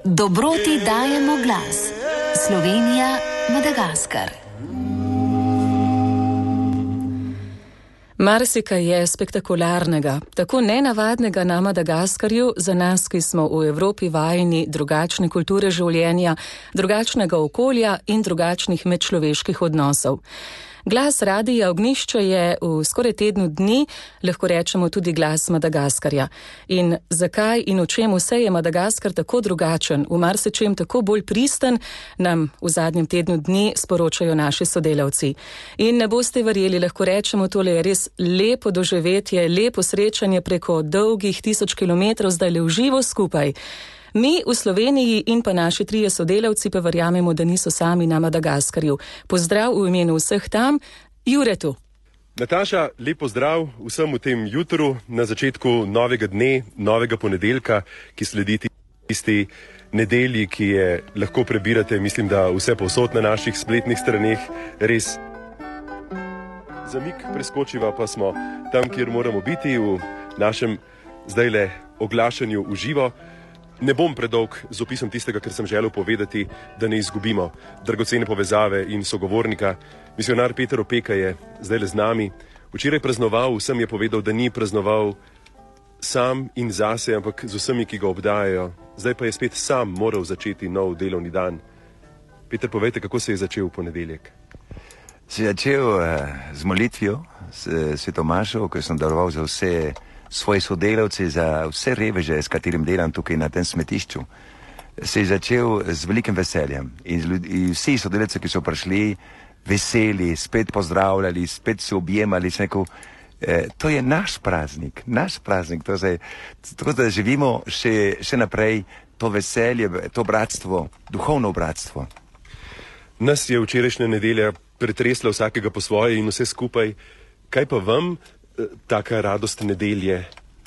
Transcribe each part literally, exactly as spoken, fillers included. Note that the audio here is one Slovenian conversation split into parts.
Dobroti dajemo glas. Slovenija, Madagaskar. Marsikaj je spektakularnega, tako nenavadnega na Madagaskarju, za nas, ki smo v Evropi vajeni drugačne kulture življenja, drugačnega okolja in drugačnih medčloveških odnosov. Glas Radija Ognjišče je v skoraj tednu dni, lahko rečemo tudi glas Madagaskarja. In zakaj in v čem vse je Madagaskar tako drugačen, v marsičem tako bolj pristen, nam v zadnjem tednu dni sporočajo naši sodelavci. In ne boste verjeli, lahko rečemo, tole je res lepo doživetje, lepo srečanje preko dolgih tisoč kilometrov, zdaj le v živo skupaj. Mi v Sloveniji in pa naši trije sodelavci pa verjamemo, da niso sami na Madagaskarju. Pozdrav v imenu vseh tam, Jure tu. Nataša, lep pozdrav vsem v tem jutru, na začetku novega dne, novega ponedeljka, ki sledi tisti nedelji, ki je lahko prebirate, mislim, da vse povsod na naših spletnih straneh, res. Zamik preskočiva pa smo tam, kjer moramo biti, v našem zdajle oglašanju v živo. Ne bom predolg z opisom tistega, kar sem želel povedati, da ne izgubimo dragocene povezave in sogovornika. Misionar Peter Opeka je zdajle z nami. Včeraj praznoval, vsem je povedal, da ni praznoval sam in zase, ampak z vsemi, ki ga obdajajo. Zdaj pa je spet sam moral začeti nov delovni dan. Peter, povejte, kako se je začel v ponedeljek? Se je začel uh, z molitvijo, s svetomašo, ko sem daroval za vse svoje sodelavce, za vse reveže, s katerim delam tukaj na tem smetišču. Se je začel z velikim veseljem in, in vsi sodelavci, ki so prišli, veseli, spet pozdravljali, spet se objemali, sem rekel, eh, to je naš praznik, naš praznik, to je, tako da živimo še, še naprej to veselje, to bratstvo, duhovno bratstvo. Nas je včerajšnja nedelja pretresla vsakega po svoje in vse skupaj. Kaj pa vam taka radost nedelje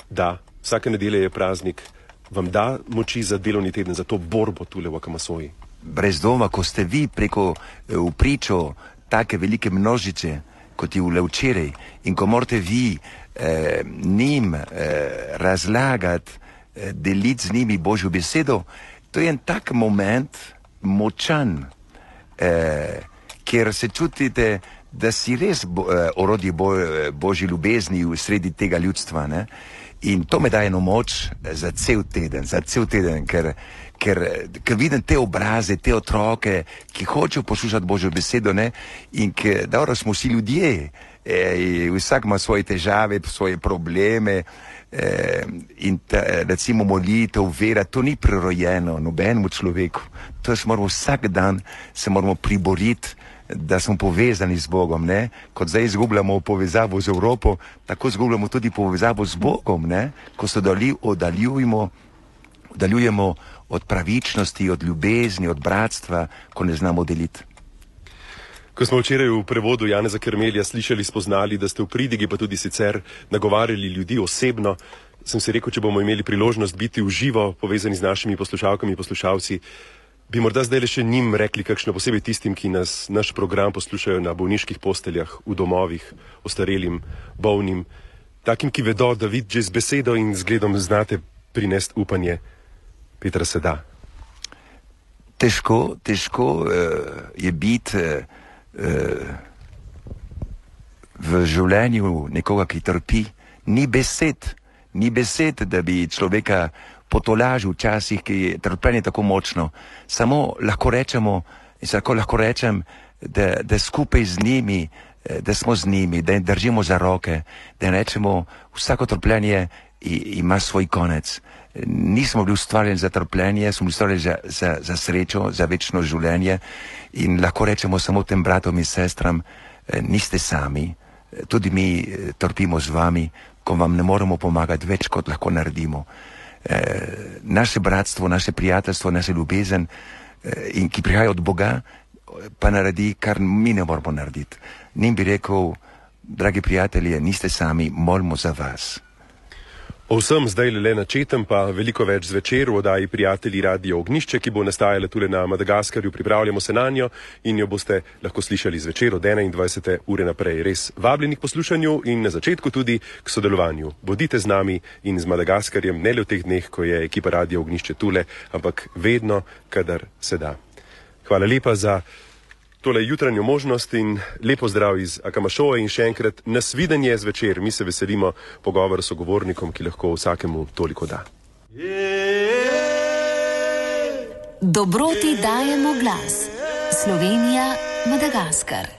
da? Vsaka nedelja je praznik. Vam da moči za delovni teden, za to borbo tule v Akamasoji? Brez doma, ko ste vi preko v pričo take velike množice, kot je vle včeraj, in ko morate vi eh, njim eh, razlagati, eh, deliti z njimi Božjo besedo, to je en tak moment močan, eh, kjer se čutite, da si res bo, uh, orodje bo, Božji ljubezni v sredi tega ljudstva, ne? In to me daje eno moč za cel teden, za cel teden, ker, ker, ker vidim te obraze, te otroke, ki hočejo poslušati Božjo besedo, ne? In ker, dobro, smo vsi ljudje, e, vsak ima svoje težave, svoje probleme, e, in ta, recimo molitev, vera, to ni prirojeno nobenemu človeku, to se moramo vsak dan, se moramo priboriti, da smo povezani z Bogom, ne? Kot zdaj izgubljamo povezavo z Evropo, tako izgubljamo tudi povezavo z Bogom, ne? Ko se oddaljujemo, oddaljujemo od pravičnosti, od ljubezni, od bratstva, ko ne znamo deliti. Ko smo včeraj v prevodu Janeza Kermelja slišali, spoznali, da ste v pridigi, pa tudi sicer nagovarjali ljudi osebno, sem si rekel, če bomo imeli priložnost biti v živo povezani z našimi poslušalkami in poslušalci, bi morda zdaj le še njim rekli kakšno, posebej tistim, ki nas, naš program poslušajo na bolniških posteljah, v domovih, ostarelim, bolnim, takim, ki vedo, da vi že z besedo in zgledom znate prinesti upanje. Petra, se da? Težko, težko uh, je biti uh, v življenju nekoga, ki trpi. Ni besed, ni besed, da bi človeka potolažil včasih, ki je trpljenje tako močno. Samo lahko rečemo, in tako lahko rečem, da, da skupaj z njimi, da smo z njimi, da jim držimo za roke, da rečemo, vsako trpljenje ima svoj konec. Nismo bili ustvarjeni za trpljenje, smo bili ustvarjeni za, za, za srečo, za večno življenje in lahko rečemo samo tem bratom in sestram, niste sami, tudi mi trpimo z vami, ko vam ne moremo pomagati več, kot lahko naredimo. Eh, naše bratstvo, naše prijateljstvo, naše ljubezen, eh, in ki prihaja od Boga, pa naredi, kar mi ne moramo narediti. Njim bi rekel, dragi prijatelji, niste sami, molimo za vas. O vsem zdaj le načetem, pa veliko več zvečer v oddaji Prijatelji Radio Ognjišče, ki bo nastajala tule na Madagaskarju. Pripravljamo se nanjo in jo boste lahko slišali zvečer od enaindvajsete ure naprej. Res vabljeni k poslušanju in na začetku tudi k sodelovanju. Bodite z nami in z Madagaskarjem, ne le v teh dneh, ko je ekipa Radio Ognjišče tule, ampak vedno, kadar se da. Hvala lepa za tole jutranjo možnost in lepo zdrav iz Akamašoa in še enkrat nasvidenje zvečer. Mi se veselimo pogovora s sogovornikom, ki lahko vsakemu toliko da. Dobroti dajemo glas. Slovenija, Madagaskar.